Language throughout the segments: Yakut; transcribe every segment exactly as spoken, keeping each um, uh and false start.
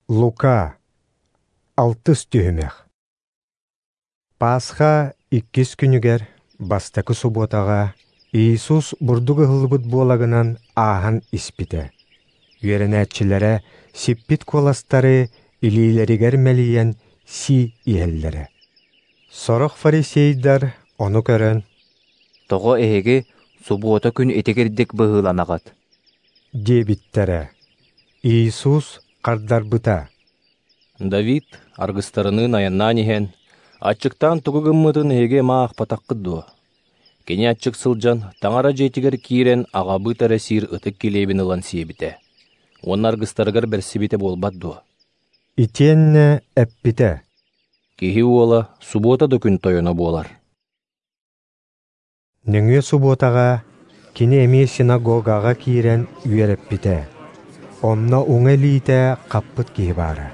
Лука, алтыс түһүмэх. Пасха иккис күнүгэр, бастакы субуотаҕа, Иисус бурдук ыһыллыбыт буолагынан ааһан испитэ. Үөрэнээччилэрэ сиппит куоластары илиилэригэр мэлийэн сии иһэллэрэ. Сорох фарисейдар ону көрөн, «Тоҕо эһиги субуота күн итигирдик быһыыланаҕыт?» диэбиттэрэ. Иисус хардарбыта: Давид аргыстарыныын айаннаан иһэн, аччыктаан тугу гыммытын эһиги эмэ аахпатаххыт дуо? Кини аччык сылдьан, Таҥара дьиэтигэр киирэн аҕабыыт эрэ сиир ытык килиэбин ылан сиэбитэ уонна аргыстарыгар бэрсибитэ буолбат дуо? Итиэннэ эппитэ: Киһи уола субуота да күн тойоно буолар. Нөҥүө субуотаҕа кини эмиэ синагогаҕа киирэн үөрэппитэ. Онно уҥа илиитэ хаппыт киһи баара.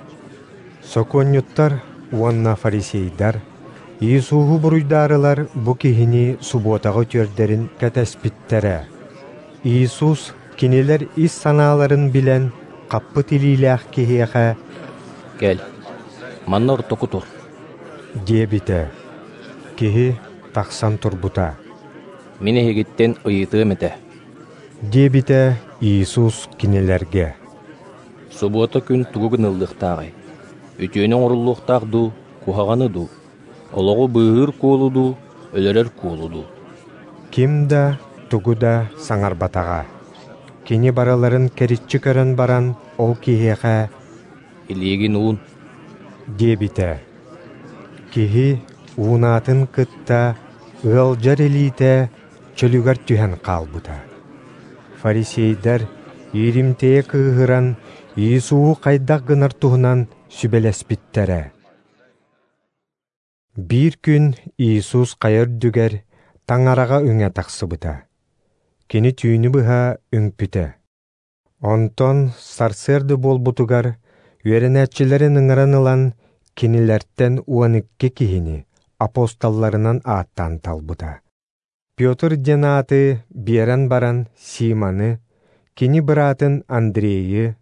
Сокуонньуттар уонна фарисейдар Иисуһу буруйдаарылар бу киһини субуотаҕа үтүөрдэрин кэтэспиттэрэ. Иисус кинилэр ис санааларын билэн, хаппыт илиилээх киһиэхэ «Кэл, манна ортоку тур» диэбитэ. Киһи тахсан турбута. «Мин эһигиттэн ыйытыам этэ» диэбитэ Иисус кинилэргэ. «Субуота күн тугу гыныллыахтааҕый? Үтүөнү оҥоруллуохтаах дуу, куһаҕаны дуу? Олоҕу быыһыыр куолу дуу, өлөрөр куолу дуу?» Ким да тугу да саҥарбатаҕа. Кини барыларын кэриччи көрөн баран, ол киһиэхэ «Илиигин уун» диэбитэ. Киһи уунаатын кытта ыалдьар илиитэ чөлүгэр түһэн хаалбыта. Фарисейдар ииримтийэ кыыһыран, Иисуһу хайдах гынар туһунан сүбэлэспиттэрэ. Биир күн Иисус хайа үрдүгэр Таҥараҕа үҥэ тахсыбыта. Кини түүнү быһа үҥпүтэ. Онтон сарсыарда буолбутугар үөрэнээччилэрин ыҥыран ылан, кинилэртэн уон икки киһини апостолларынан ааттаан талбыта. Петр диэн ааты биэрэн баран Симоны, кини быраатын Андрейы,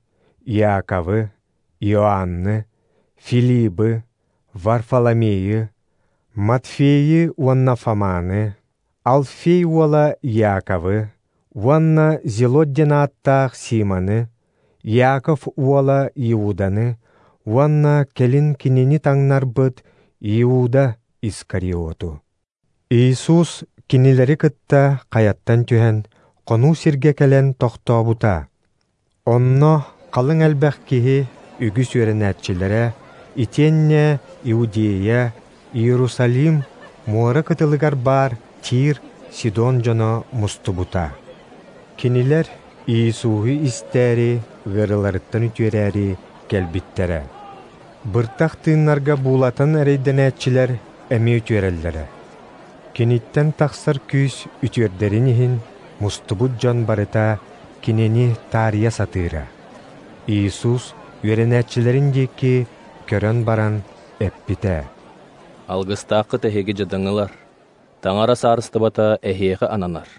Иаковы, Иоанны, Филибы, Варфоломейы, Матфейы уонна Фоманы, Алфей уола Иаковы, уонна Зелот диэн ааттаах Симоны, Иаков уола Иуданы, уонна кэлин кинини таҥнарбыт Иуда Искариоту. Иисус кинилэри кытта хайаттан түһэн, хонуу сиргэ кэлэн тохтообута. Онно халыҥ элбэх киһи үгүс үөрэнээччилэрэ, итиэннэ Иудея, Иерусалим, муора кытылыгар баар Тир, Сидон дьоно мустубута. Кинилэр Иисуһу истээри, ыарыыларыттан үтүөрээри кэлбиттэрэ. Быртах тыыннарга буулатан эрэйдэнээччилэр эмиэ үтүөрэллэрэ. Киниттэн тахсар күүс үтүөрдэрин иһин мустубут дьон барыта кинини таарыйа сатыыра. Иисус үөрэнээччилэрин диэки көрөн баран эппитэ: «Алгыстааххыт эһиги дьадаҥылар, Таҥара саарыстыбата эһиэхэ ананар.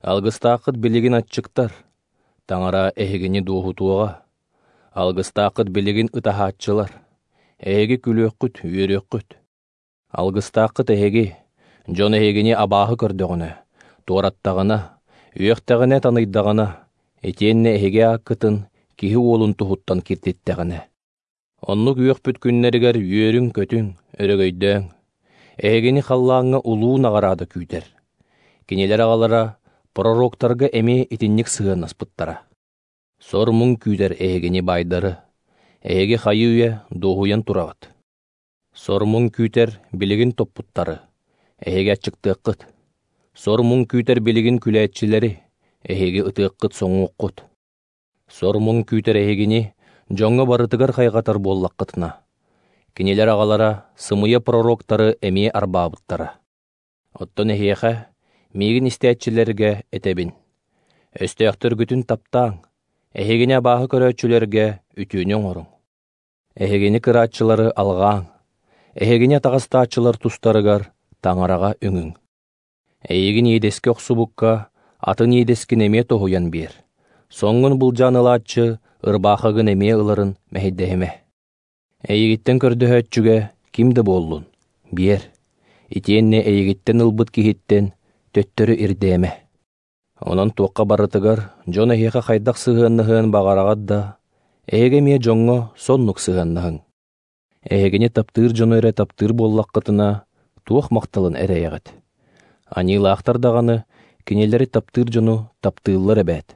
Алгыстааххыт билигин аччыктар, Таҥара эһигини дуоһутуоҕа. Алгыстааххыт билигин ытаһааччылар, эһиги күлүөххүт, үөрүөххүт. Алгыстааххыт эһиги, дьон эһигини абааһы көрдөҕүнэ, туораттаҕына, үөхтэҕинэ таныйдаҕына, итиэннэ эһиги ааккытын киһи уолун туһуттан киртиттэҕинэ. Оннук үөхпүт күннэригэр үөрүҥ-көтүҥ, өрөгөйдөөҥ. Эһигини халлааҥҥа улуу наҕараада күүтэр. Кинилэр аҕалара пророктарга эмиэ итинник сыһыаннаспыттара. Сор муҥ күүтэр эһигини баайдары, эһиги хайыы үйэ дуоһуйан тураҕыт. Сор муҥ күүтэр билигин топпуттары, эһиги аччыктыаххыт. Сор муҥ күүтэр билигин күлээччилэри, эһиги ытыаххыт соҥуоххут. Сор муҥ күүтэр эһигини дьоҥҥо барытыгар хайҕатар буоллаххытына. Кинилэр аҕалара сымыйа пророктары эмиэ арбаабыттара. Оттон эһиэхэ, миигин истээччилэргэ этэбин. Өстөөхтөргүтүн таптааҥ, эһигини абааһы көрөөччүлэргэ үтүөнү оҥоруҥ. Эһигини кырааччылары алҕааҥ, эһигини атаҕастааччылар тустарыгар Таҥараҕа үҥүҥ. Эйигин иэдэскэ охсубукка, атын иэдэскин эмиэ тоһуйан биэр. Соҥҥун былдьаан ылааччы ырбаахыгын эмиэ ыларын мэһэйдэһимэ. Эйигиттэн көрдөһөөччүгэ ким да буоллун, биэр, итиэннэ эйигиттэн ылбыт киһиттэн төттөрү ирдээмэ. Онон туохха барытыгар дьон эһиэхэ хайдах сыһыаннаһыан баҕараҕыт да, эһиги эмиэ дьоҥҥо соннук сыһыаннаһыҥ. Эһигини таптыыр дьону эрэ таптыыр буоллаххытына, туох махталын эрэйэҕит? Аньыылаахтар даҕаны кинилэри таптыыр дьону таптыыллар эбээт.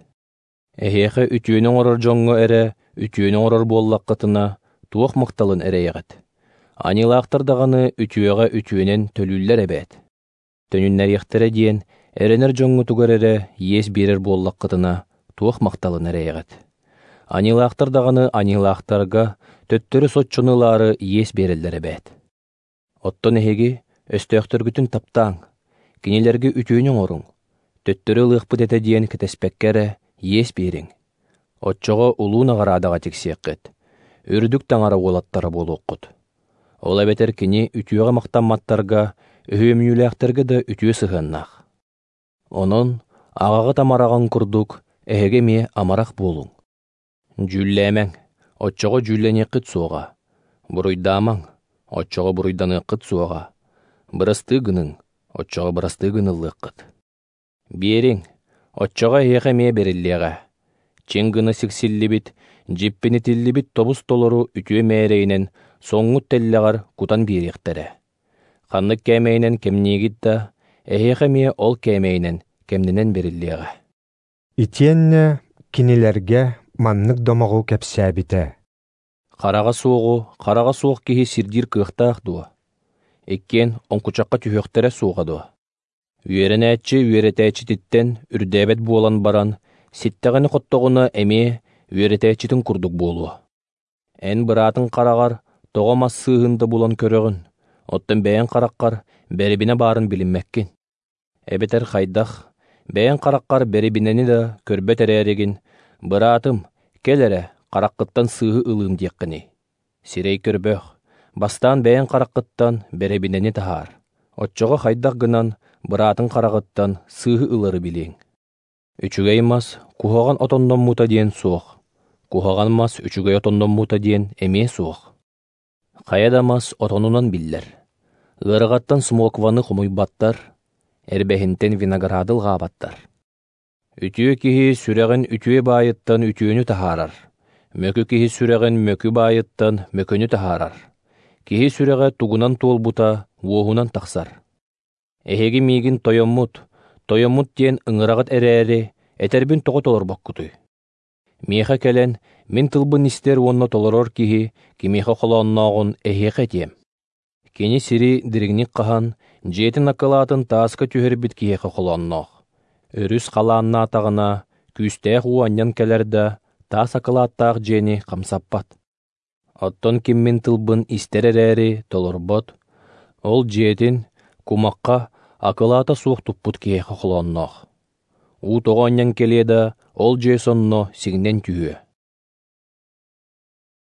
Эһиэхэ үтүөнү оҥорор дьоҥҥо эрэ үтүөнү оҥорор буоллаххытына, туох махталын эрэйэҕит? Аньыылаахтар даҕаны үтүөҕэ үтүөнэн төлүүллэр эбээт. Төнүннэриэхтэрэ диэн эрэнэр дьоҥҥутугар эрэ иэс биэрэр буоллаххытына, туох махталын эрэйэҕит? Аньыылаахтар даҕаны аньыылаахтарга төттөрү соччону ылаары иэс биэрэллэр эбээт. Оттон эһиги өстөөхтөргүтүн таптааҥ, кинилэргэ үтүөнү оҥоруҥ, төттөрү ылыахпыт этэ диэн кэтэспэккэ эрэ иэс биэриҥ. Оччоҕо улуу наҕараадаҕа тиксиэххит, үрдүк таҥара уолаттара буолуоххут. Ол эбэтэр кини үтүөҕэ махтамматтарга, өһүөмньүлээхтэргэ да үтүө сыһыаннаах. Онон аҕаҕыт амараҕын курдук эһиги эмиэ амарах буолуҥ. Дьүүллээмэҥ, оччоҕо дьүүллэниэххит суоҕа. Буруйдаамаҥ, оччоҕо буруйданыаххыт суоҕа. Бырастыы гыныҥ, оччоҕо бырастыы гыныллыаххыт. Биэриҥ, оччоҕо эһиэхэ эмиэ бэриллиэҕэ. Чиҥ гына сиксиллибит, дьиппинитиллибит тобус толору үтүө мээрэйинэн соҥҥут тэллэҕэр кутан биэриэхтэрэ. Ханнык кээмэйинэн кэмниигит да, эһиэхэ эмиэ ол кээмэйинэн кэмнэнэн бэриллиэҕэ. Итиэннэ кинилэргэ маннык домоҕу кэпсээбитэ. Хараҕа суоҕу хараҕа суох киһи сирдиир кыахтаах дуо? Иккиэн оҥкучахха түһүөхтэрэ суоҕа дуо? Үөрэнээччи үөрэтээччититтэн үрдээбэт буолан баран, ситтэҕинэ-хоттоҕуна эмиэ үөрэтээччитин курдук буолуо. Эн быраатыҥ хараҕар тоҕо мас сыыһын да булан көрөҕүн, оттон бэйэҥ хараххар бэрибинэ баарын билиммэккин. Эбэтэр хайдах, бэйэҥ хараххар бэрибинэни да көрбөт эрээригин, быраатым, кэл эрэ, хараххыттан сыыһы ылыым диэххиний. Сирэй көрбөх, бастаан бэйэҥ хараххыттан бэрэбинэни таһаар. Оччоҕо хайдах гынан быраатыҥ хараҕыттан сыыһы ылары билиэҥ. Үчүгэй мас куһаҕан отонноммута диэн суох, куһаҕан мас үчүгэй отонноммута диэн эмиэ суох. Хайа да мас отонунан биллэр. Ыарыҕаттан смокваны хомуйбаттар, эрбэһинтэн винограды ылҕаабаттар. Үтүө киһи сүрэҕин үтүө баайыттан үтүөнү таһаарар, мөкү киһи сүрэҕин мөкү баайыттан мөкүнү таһаарар. Киһи сүрэҕэ тугунан туолбута уоһунан тахсар. Эһиги миигин тойоммут, тойоммут диэн ыҥыраҕыт эрээри, этэрбин тоҕо толорбоккутуй? Миэхэ кэлэн, мин тылбын истэр уонна толорор киһи кимиэхэ холооннооҕун эһиэхэ этиэм. Кини сири дириҥник хаһан, дьиэтин акылаатын тааска түһэрбит киһиэхэ холоонноох. Өрүс халааннаатаҕына, күүстээх уу анньан кэлэр да, таас акылааттаах дьиэни хамсаппат. Оттон ким мин тылбын истэр эрээри толорбот, ол дьиэтин кумахха акылаата суох туппут киһиэхэ холоонноох. Уу тоҕо анньан кэлиэ да, ол дьиэ сонно сиҥнэн түһүө.